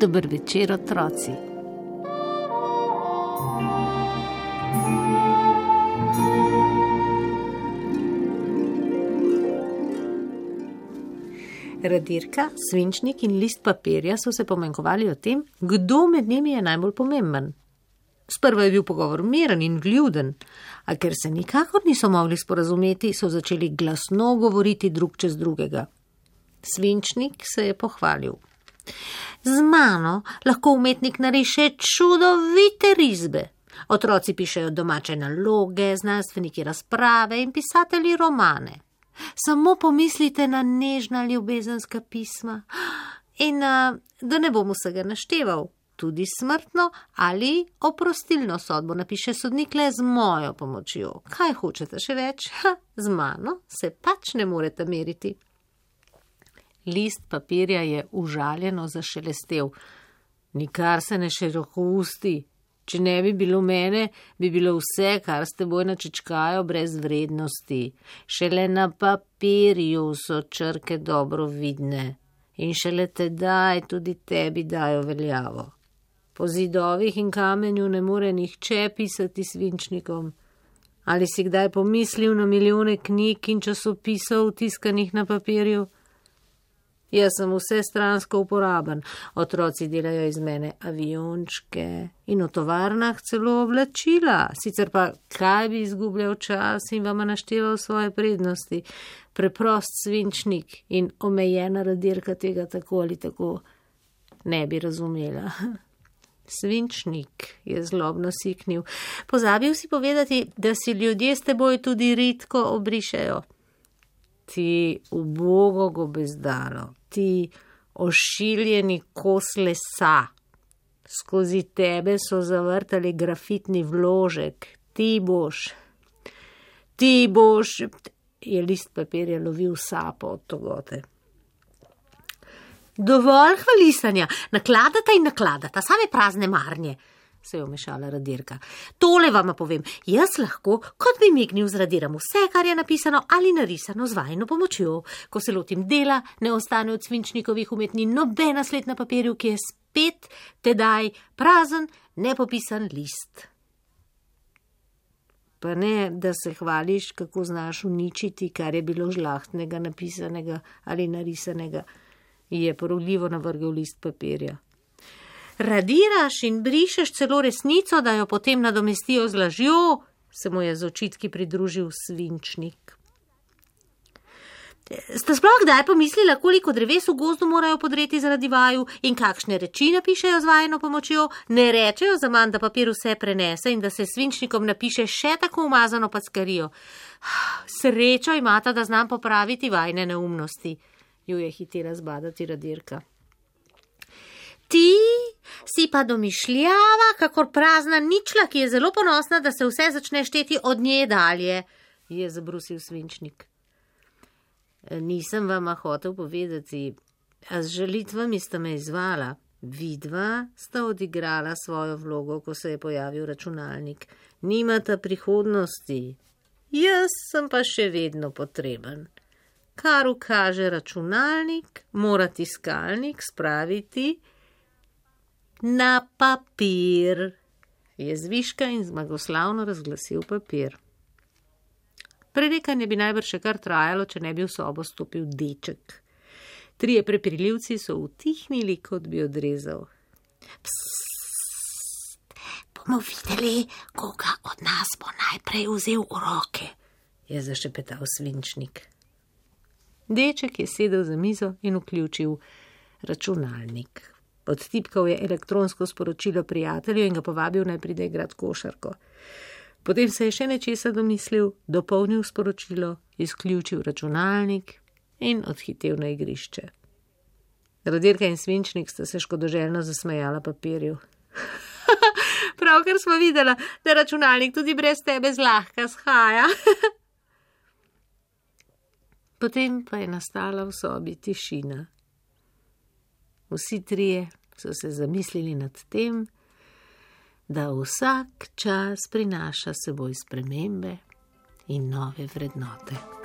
Dober večer, otroci. Radirka, svinčnik in list papirja so se pomenkovali o tem, kdo med njimi je najbolj pomemben. Sprva je bil pogovor miren in vljuden, a ker se nikakor niso mogli sporazumeti, so začeli glasno govoriti drug čez drugega. Svinčnik se je pohvalil. Z mano lahko umetnik nariše čudovite risbe. Otroci pišejo domače naloge, znanstveniki razprave in pisatelji romane. Samo pomislite na nežna ljubezenska pisma in, da ne bom vsega našteval, tudi smrtno ali oprostilno sodbo napiše sodnik le z mojo pomočjo. Kaj hočete še več? Z mano se pač ne morete meriti. List papirja je užaljeno zašelestel. Nikar se ne širokousti. Če ne bi bilo mene, bi bilo vse, kar s teboj načičkajo, brez vrednosti. Šele na papirju so črke dobro vidne in šele tedaj tudi tebi dajo veljavo. Po zidovih in kamenju ne more nihče pisati svinčnikom. Ali si kdaj pomislil na milijone knjig in časopisov tiskanih na papirju? Jaz sem vsestransko uporaben, otroci delajo iz mene aviončke in v tovarnah celo oblačila, sicer pa kaj bi izgubljal čas in vama našteval svoje prednosti. Preprost svinčnik in omejena radirka tega tako ali tako ne bi razumela. Svinčnik je zlobno siknil. Pozabil si povedati, da si ljudje s teboj tudi redko obrišejo. Ti ubogo gobezdalo, ti ošiljeni kos lesa. Skozi tebe so zavrtali grafitni vložek. Ti boš, je list papirja lovil sapo od togote. Dovolj hvalisanja, nakladata, same prazne marnje, se je vmešala radirka. Tole vama povem, jaz lahko, kot bi mignil, zradiram vse, kar je napisano ali narisano z vajino pomočjo. Ko se lotim dela, ne ostane od svinčnikovih umetnin nobena sled na papirju, ki je spet tedaj prazen, nepopisan list. Pa ne, da se hvališ, kako znaš uničiti, kar je bilo žlahtnega, napisanega ali narisanega, je porogljivo navrgel list papirja. Radiraš in brišeš celo resnico, da jo potem nadomestijo z lažjo, se mu je z očitki pridružil svinčnik. Ste sploh kdaj pomislila, koliko dreves v gozdu morajo podreti zaradi vaju in kakšne reči napišejo z vajino pomočjo? Ne rečejo zaman, da papir vse prenese in da se svinčnikom napiše še tako umazano packarijo. Srečo imata, da znam popraviti vajine neumnosti, ju je hitela zbadati radirka. Ti si pa domišljava, kakor prazna ničla, ki je zelo ponosna, da se vse začne šteti od nje dalje, je zabrusil svinčnik. Nisem vama hotel povedati, a z žalitvami sta me izvala. Vidva sta odigrala svojo vlogo, ko se je pojavil računalnik. Nimata prihodnosti. Jaz sem pa še vedno potreben. Kar ukaže računalnik, mora tiskalnik spraviti na papir, je zviška in zmagoslavno razglasil papir. Prerekanje bi najbrž še kar trajalo, če ne bi v sobo stopil deček. Trije prepirljivci so utihnili, kot bi odrezal. Psst, bomo videli, koga od nas bo najprej vzel v roke, je zašepetal svinčnik. Deček je sedel za mizo in vključil računalnik. Odtipkal je elektronsko sporočilo prijatelju in ga povabil, naj pride igrat košarko. Potem se je še nečesa domislil, dopolnil sporočilo, izključil računalnik in odhitel na igrišče. Radirka in svinčnik sta se škodoželjno zasmejala papirju. Pravkar smo videla, da računalnik tudi brez tebe zlahka shaja. Potem pa je nastala v sobi tišina. Vsi trije so se zamislili nad tem, da vsak čas prinaša s seboj spremembe in nove vrednote.